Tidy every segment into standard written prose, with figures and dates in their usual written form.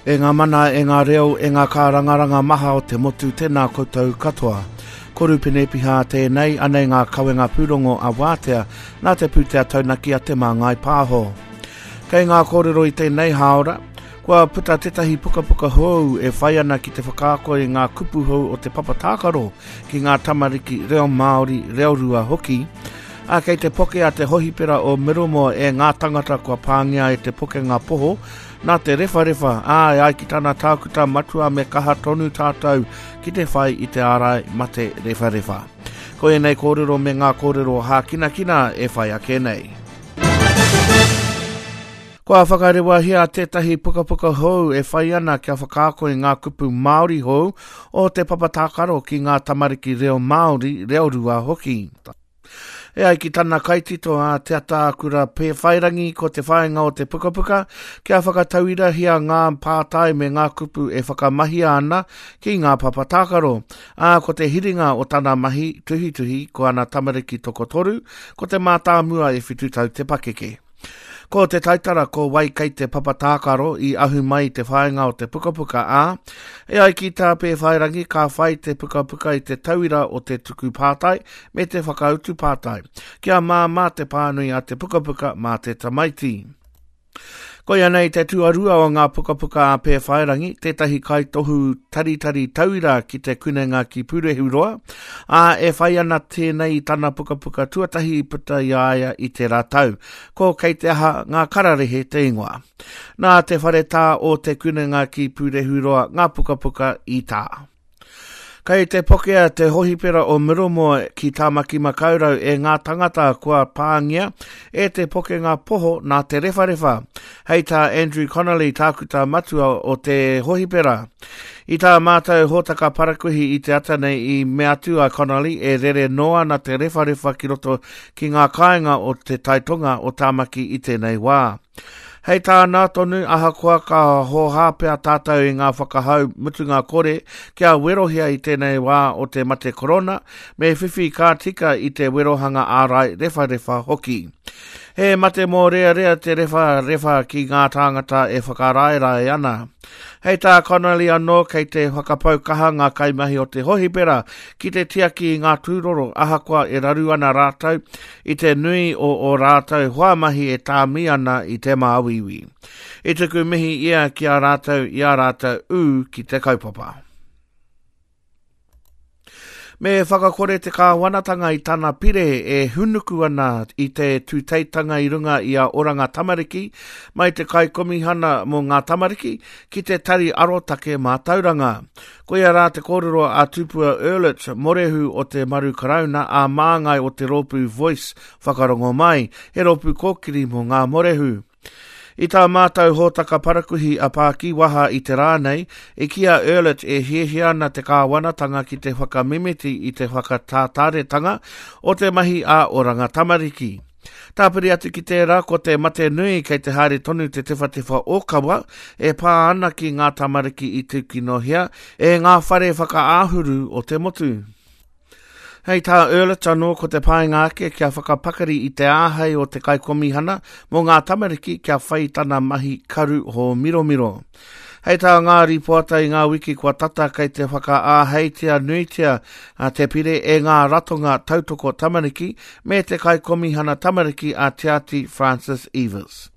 E ngā mana, e ngā reo, e ngā kārangaranga maha o te motu, tēnā koutou katoa. Ko Rupene Piha tēnei, anei ngā kawenga pūrongo a Wātea, nā te pūtea taunaki a Te Māngai Pāho. Kei ngā kōrero i tēnei hāora, kua puta tētahi pukapuka hou e whai ana ki te whakaako i ngā kupu hou o te papa tākaro ki ngā tamariki reo Māori, reo rua hoki, ā, kei te poke a te hohipera o Middlemore e ngā tangata kua pāngia e te pokenga poho nā te rewharewha, ā, e ai ki tana tākuta matua me kaha tonu tātou ki te whai i te ārai mate rewharewha. Ko ēnei kōrero me ngā kōrero hākinakina e whai ake nei. Kua whakarewahia tētahi pukapuka hou e whai ana kia whakaako i ngā kupu Māori hou o te papa tākaro ki ngā tamariki reo Māori, reo rua hoki. E ai ki tana kaitito a Te Ataakura Pēwhairangi ko te whāinga o te pukapuka kia whakatauirahia ngā pātai me ngā kupu e whakamahia ana ki ngā papa tākaro, ā, ko te hiringa o tana mahi tuhituhi ko ana tamariki tokotoru, ko te mātāmua e whitu tau te pakeke. Ko te taitara ko wai kei te papa tākaro i ahu mai i te whāinga o te pukapuka, ā, e ai ki tā Pēwhairangi ka whai te pukapuka i te tauira o te tuku pātai me te whakautu pātai, kia māmā te pānui a te pukapuka mā te tamaiti. Koia nei te tuarua o ngā pukapuka a Pēwhairangi, tētahi kaitohu taritari tauira ki te kunenga ki Pūrehuroa, ā, e whai ana tēnei i tana pukapuka tuatahi i puta i a ia i tērā tau, ko Kei te aha ngā kararehe te ingoa. Nā te whare tā o Te Kunenga ki Pūrehuroa ngā pukapuka i tā. Kei te pokea te hohipera o Middlemore ki Tāmaki Makaurau e ngā tangata kua pāngia e te pokenga poho nā te rewharewha, hei tā Andrew Connolly, tākuta matua o te hohipera. I tā mātou hōtaka parakuihi i te ata nei i mea atu a Connolly e rere noa ana te rewharewha ki roto ki ngā kāinga o te taitonga o Tāmaki i tēnei wā. Hei tāna tonu, ahakoa ka hōhā pea tātou i ngā whakahau mutunga kore kia werohia i tēnei wā o te mate korona, me whiwhi ka tika i te werohanga ārai rewharewha hoki. He mate mōrearea te rewharewha ki ngā tāngata e whakaraerae ana. Hei tā Connolly anō kei te whakapau kaha ngā kaimahi o te hohipera ki te tiaki i ngā tūroro ahakoa e raru ana rātou i te nui o ō rātou hoamahi e tāmi ana i te māuiui. I tuku mihi ia ki a rātou i ā rātou ū ki te kaupapa. Me whakakore te kāwanatanga i tana pire e hunuku ana i te tūteitanga i runga i a Oranga Tamariki mai te Kaikomihana mō ngā Tamariki ki te Tari Arotake Mātauranga. Koia rā te kōrero a Tupua Urlich, morehu o te Maru Karauna ā māngai o te rōpū Voice Whakarongo Mai, he rōpū kōkiri mō ngā morehu. I tā mātou hōtaka parakuihi a Pākiwaha i te rā nei, i kī a Urlich e hiahia ana te kāwanatanga ki te whakamimiti i te whakatātāretanga o te mahi a Oranga Tamariki. Tāpiri atu ki tērā, ko te mate nui kei te haere tonu te tewhatewha ōkawa e pā ana ki ngā tamariki i tūkinohia e ngā whare whakaāhuru o te motu. Hei tā Urlich anō ko te painga ake kia whakapakari i te āhei o te kaikomihana mō ngā tamariki kia whai tana mahi karu hōmiromiro. Hei tā ngā rīpoata i ngā wiki kua tata kei te whakaāheitia nuitia te pire e ngā ratonga tautoko tamariki me te kaikomihana tamariki a Tiati Francis Evers.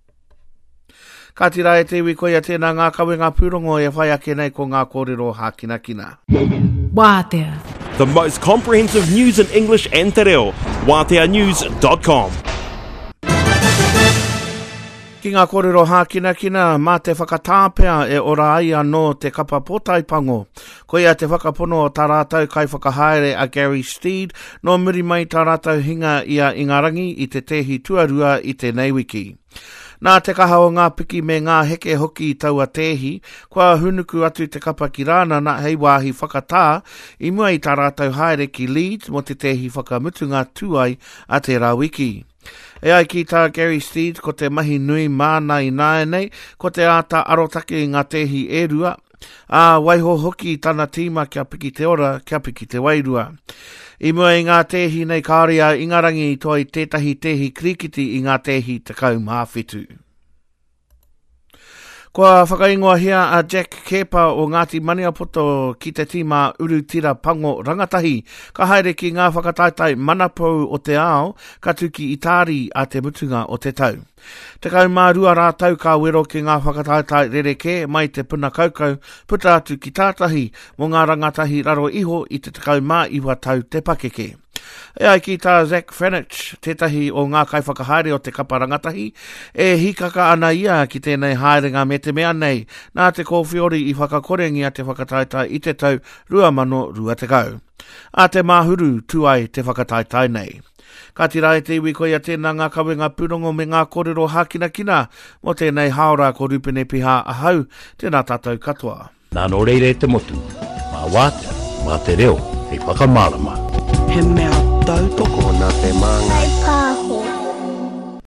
Kāti rā e te iwi koia tēnā ngā kawenga pūrongo e whai ake nei ko ngā kōrero hākinakina. Wātea. The most comprehensive news in English and Te Reo. WāteaNews.com. Ki ngā kōrero hākinakina, mā te whakatāpea e ora ai anō te kapa pōtae pango. Koia te whakapono o tā rātou kaiwhakahaere a Gary Steed, nō muri mai tā rātou hinga i a Ingarangi i te tēhi tuarua i tēnei wiki. Nā te kaha o ngā piki me ngā heke hoki i taua tēhi, kua hūnuku atu te kapa ki Rānana hei wāhi whakatā i mua i tā rātou haere ki Leeds mō te tēhi whakamutunga tūai a tērā wiki. E ai ki tā Gary Steed ko te mahi nui māna ināianei ko te āta arotake i ngā tēhi e rua, ā, waiho hoki i tana tīma kia piki te ora, kia piki te wairua. I mua i ngā tēhi nei kāore a Ingarangi i toa i tētahi tēhi kirikiti i ngā tēhi 17. Kua whakaingoahia a Jack Keepa o Ngāti Maniapoto ki te tīma Urutira Pango Rangatahi, ka haere ki ngā whakataetae manapou o te ao, ka tū ki Itāri a te mutunga o te tau. 12 rātou ka wero ki ngā whakataetae rerekē mai te puna kaukau puta atu ki tātahi mō ngā rangatahi raro iho i te 19 tau te pakeke. E ai ki tā Zach Franich, tētahi o ngā kaiwhakahaere o te kapa rangatahi, e hīkaka ana ia ki tēnei haerenga me te mea nei, nā te kōwhiori i whakakorengia te whakataetae i te tau 2020. Ā te Māhuru tū ai te whakataetae nei. Ka tira e te iwi koia tēnā ngā kawenga pūrongo me ngā kōrero hākinakina mō tēnei hāora ko Rupene Piha ahau, tēnā tātou katoa. Nā nō reira e te motu, mā wātea, mā te reo hei whakamārama. He mea tautoko Nā te māngai.